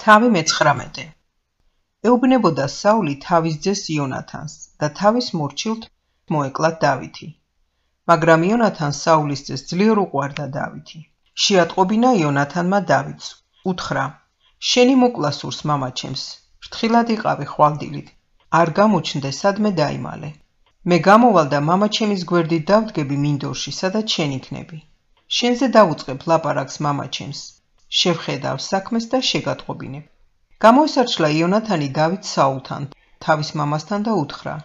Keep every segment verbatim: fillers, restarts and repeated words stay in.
თავი მეცხრამეტე. ეუბნებოდა საული თავის ძეს იონათანს და თავის მორჩილთ მოეკლა დავითი. მაგრამ იონათანს საულის ძეს ძლიერ უყვარდა დავითი. შეატყობინა იონათანმა დავითს. უთხრა: შენი მოკლა სურს მამაჩემს, ფრთხილად იყავი ხვალდილით, არ გამოჩნდე სადმე დაიმალე. მე გამოვალ და მამაჩემის გვერდით დავდგები მინდორში, სადაც შენ იქნები. შენზე დავუწყებ ლაპარაკს მამაჩემს, შევხედავ საქმეს და შეგატყობინებ. გამოესარჩლა იონათანი დავითს საულთან, თავის მამასთან და უთხრა: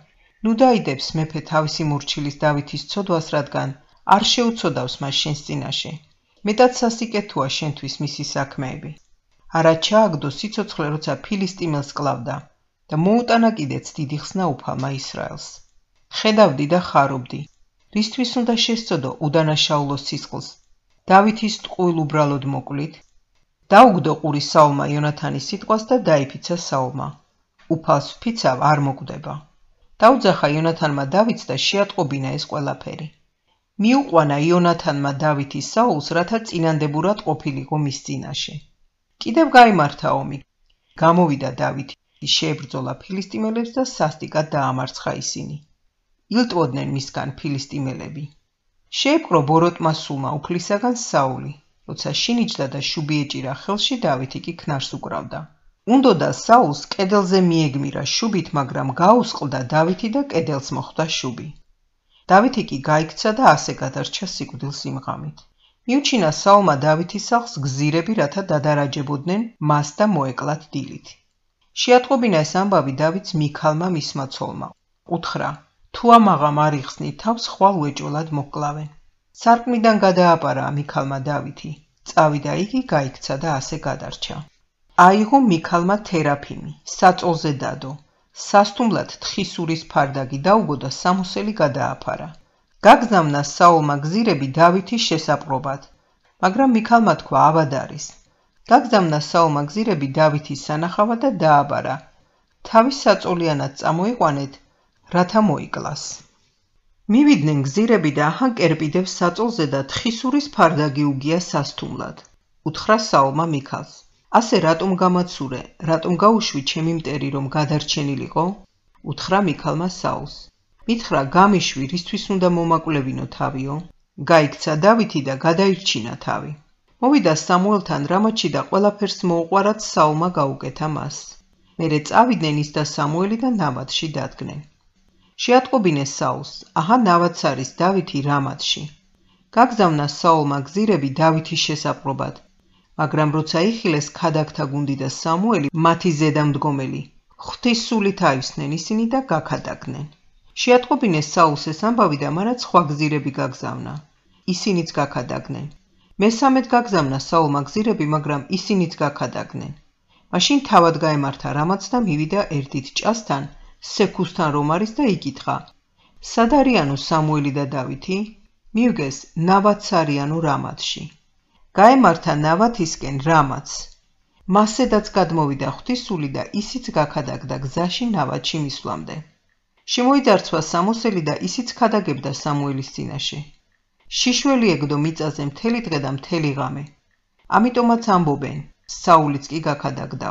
ნუ დაიდებს მეფე თავისი მორჩილის დავითის ცოდვას, რადგან არ შეუცოდავს მას შენს წინაშე. მეტად სასიკეთოა შენთვის მისი საქმეები. არა ჩააგდო სიცოცხლე, როცა ფილისტიმელს კლავდა და მოუტანა კიდეც დიდი ხსნა უფალმა ისრაელს. ხედავდი და ხარობდი, რისთვის უნდა შესწოდო უდანაშაულოს სისხლს, დავითის ტყუილ უბრალოდ მოკლით. დაუგდო ყური საულმა იონათანის სიტყვას და დაიფიცა საულმა. უფალს ვფიცავ, არ მოკვდება. დაუძახა იონათანმა დავითს და შეატყობინა ეს ყველაფერი. მიუყვანა იონათანმა დავითი საულს, რათა წინანდებურად ყოფილიყო მის წინაშე. კიდევ გაიმართა ომი. გამოვიდა დავითი, შეებრძოლა ფილისტიმელებს და სასტიკად დაამარცხა ისინი. ილტვოდნენ მისგან ფილისტიმელები. შეეპყრო ბოროტმა სულმა უფლისაგან საული, როცა შინიჭდა და შუბი ეჭირა ხელში, დავითი კი ქნარს უკრავდა. უნდოდა საულს კედელზე მიეგმირა შუბით, მაგრამ გაუსყლდა დავითი და კედელს მოხვდა შუბი. დავითი კი გაიქცა და ასე გადარჩა სიკვდილს იმ ღამით. მიუჩინა საულმა დავითის სახლს გზირები, რათა დადარაჯებოდნენ მას და მოეკლათ დილით. შეატყობინა ეს ამბავი დავითს მიქალმა მისმა ცოლმა. უთხრა: თუ ამაღამ არ იხსნი თავს, ხვალ უეჭველად მოკლავენ. სარკმლიდან გადააპარა მიქალმა დავითი. წავიდა იგი, გაიქცა და ასე გადარჩა. აიღო მიქალმა თერაფიმი, საწოლზე დადო. სასტუმლად თხისურის ფარდაგი დაუგო და სამოსელი გადააფარა. გაგზავნა საულმა გზირები დავითის შესაპყრობად, მაგრამ მიქალმა თქვა: ავად არის. გაგზავნა საულმა გზირები დავითის სანახავად და დააბარა: თავის საწოლიანად წამოიყვანეთ, რათა მოიკლას. მივიდნენ გზირები და აჰან კერპიდებს საწოლზე და თხისურის ფარდაგი უგია სასტუმლად. უთხრა საულმა მიქალს: ასე რატომ გამაცურე, რატომ გაუშვი ჩემი მტერი, რომ გადარჩენილიყო? უთხრა მიქალმა საულს: მითხრა, გამიშვი, რისთვის უნდა მომაკვლევინო თავიო? გაიქცა დავითი და გადაირჩინა თავი. მოვიდა სამუელთან რამათში და ყველაფერს მოუყვარად საულმა გაუკეთა მას. მერე წავიდნენ ის და სამუელი და ნავათში დადგნენ. შეატყობინეს საულს: აჰა, ნავაც არის დავითი რამათში. გაგზავნა საულმა გზირები დავითის შესაპყრობად, მაგრამ როცა იხილეს ქადაგთა გუნდი და სამუელი, მათი ზედამდგომელი, ღვთის სულით აივსნენ ისინი და გაქადაგდნენ. შეატყობინეს საულს ეს ამბავი და მანაც სხვა გზირები გაგზავნა. ისინიც გაქადაგდნენ. მესამედ გაგზავნა საულმა გზირები, მაგრამ ისინიც გაქადაგდნენ. მაშინ თავად გაემართა რამაც და მივიდა ერთით ჭასთან, სექუსთან რომ არის და იკითხა: სად არიანო სამუელი და დავითი? მივგეს: ნავათს არიანო რამათში. გაემართა ნავათისკენ რამათს. მასედაც გადმოვიდა ღვთისული და ისიც გაქადაგდა გზაში ნავათში მისვლამდე. შემოიძარცვა სამოსელი და ისიც ქადაგებდა სამუელის წინაშე. შიშველი ეგდო მიწაზე მთელი დღე და მთელი ღამე. ამიტომაც ამბობენ: საულიც კი გაქადაგდა.